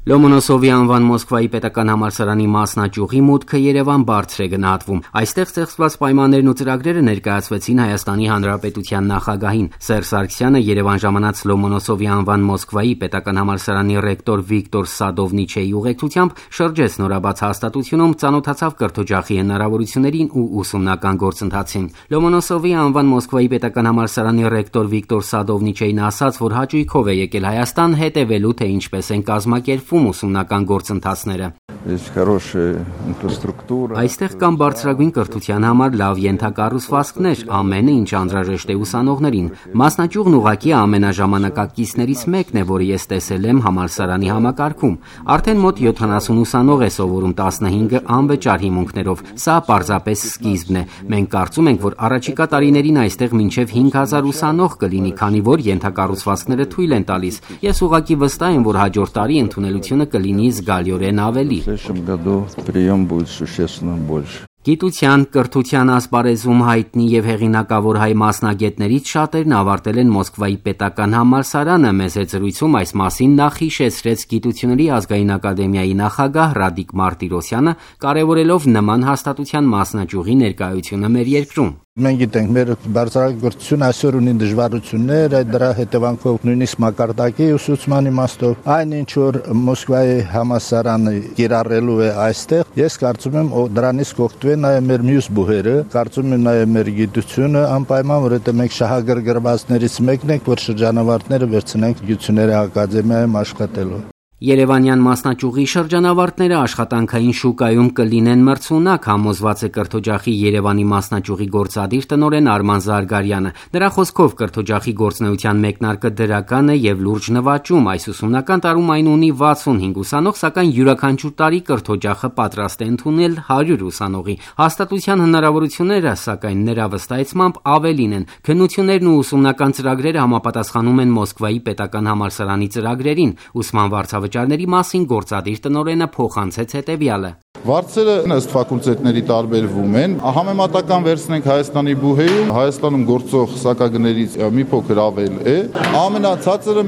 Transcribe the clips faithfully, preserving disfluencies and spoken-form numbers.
Լոմոնոսովի անվան Մոսկվայի պետական համալսարանի մասնաճյուղի մուտքը Երևան բարձր է գնահատվում։ Այստեղ ստեղծված պայմաններն ու ծրագրերը ներկայացվեցին Հայաստանի Հանրապետության նախագահին։ Սերժ Սարգսյանը Երևան ժամանած Լոմոնոսովի անվան Մոսկվայի պետական համալսարանի ռեկտոր Վիկտոր Սադովնիչեի ուղեկցությամբ շրջեց նորաբաց հաստատությունում, ծանոթացավ կրթօջախի հնարավորություններին ու ուսումնական գործընթացին։ Լոմոնոսովի անվան Մոսկվայի պետական համալսարանի ռեկտոր Վիկտոր Սադովնիչեին ասաց, որ հաճույքով է եկել Հայաստան հետևելու, թե ինչպես են կազմակերպվում ուսումնական գործընթացները։ Այստեղ կան բարձրագույն կրթության համար լավ ենթակառուցվածքներ, ամենը ինչ անհրաժեշտ է ուսանողներին։ Մասնաճյուղն ուղղակի ամենաժամանակակիցներից մեկն է, որը ես տեսել եմ համալսարանի համակարգում։ Արդեն մոտ յոթանասուն ուսանող է սովորում, տասնհինգը անվճար հիմունքներով։ Սա պարզապես սկիզբն է։ Մենք կարծում ենք, որ առաջիկա տարիներին այստեղ մինչև հինգ հազար ուսանող կլինի, քանի որ ենթակառուցվածքները թույլ են տալիս։ Ես ուղղակի վստահ եմ, որ հաջորդ տարի ընդունելությունը կլինի զգալիորեն ավելի։ Գիտության, կրթության ասպարեզում հայտնի եւ հեղինակավոր հայ մասնագետներից շատերն ավարտել են Մոսկվայի պետական համալսարանը։ Մեծ զրույցում այս մասին նախ հիշեցրեց Գիտությունների ազգային ակադեմիայի նախագահ Ռադիկ Մարտիրոսյանը, կարևորելով նման հաստատության մասնաճյուղի ներկայությունը մեր երկրում։ Մենք գիտենք, մեր բարձրագործությունը այսօր ունի դժվարություններ, այդ դրա հետևանքով նույնիսկ մակարդակի ուսուցման իմաստով, այն ինչ որ Մոսկվայի համալսարանը կիրառելու է այստեղ, ես կարծում եմ դրանից կօգտվեն նաև մեր մյուս բուհերը, կարծում եմ նաև մեր գիտությունը անպայման, որովհետև մենք շահագրգռվածներից մեկն ենք, որ շրջանավարտները վերցնենք Գիտությունների ակադեմիայում աշխատելու։ Երևանյան մասնաճյուղի շրջանավարտները աշխատանքային շուկայում կլինեն մրցունակ, համոզված է կրթօջախի Երևանի մասնաճյուղի գործադիր տնօրեն Արման Զարգարյանը։ Նրա խոսքով կրթօջախի գործունեության մեկնարկը դրական է եւ լուրջ նվաճում։ Այս ուսումնական տարում այն ունի վաթսունհինգ ուսանող, սակայն յուրաքանչյուր տարի կրթօջախը պատրաստ է ընդունել հարյուր ուսանողի։ Հաստատության հնարավորությունները, սակայն նրա վստահեցմամբ, ավելին են։ Քննություններն ու ուսումնական ծրագրերը համապատասխանում են Մոսկվայի պետական համալսարանի ծրագրերին։ Ուսման վարձավճարների մասին գործադիր տնօրենը փոխանցեց հետևյալը. Վարձերը ըստ ֆակուլտետների տարբերվում են։ Համեմատական վերցնենք Հայաստանի բուհեում, Հայաստանում գործող սակագներից մի փոքր ավել է։ Ամենացածրը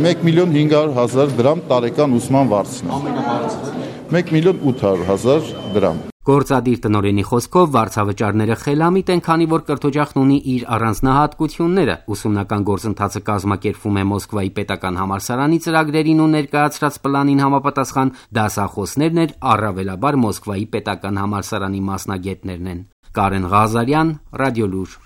մեկ միլիոն հինգ հարյուր հազար դրամ տարեկան ուսման վարձն է։ Ամենաբարձրը մեկ միլիոն ութ հարյուր հազար դրամ։ Գործադիր տնօրենի խոսքով վարձավճարները խելամիտ են, քանի որ կրթօջախն ունի իր առանձնահատկությունները։ Ուսումնական գործընթացը կազմակերպվում է Մոսկվայի պետական համալսարանի ծրագրերին ու ներկայացրած պլանին համապատասխան, դասախոսներն էլ առավելաբար Մոսկվայի պետական համալսարանի մասնագետներն են։ Կարեն Ղազարյան, Ռադիոլուր։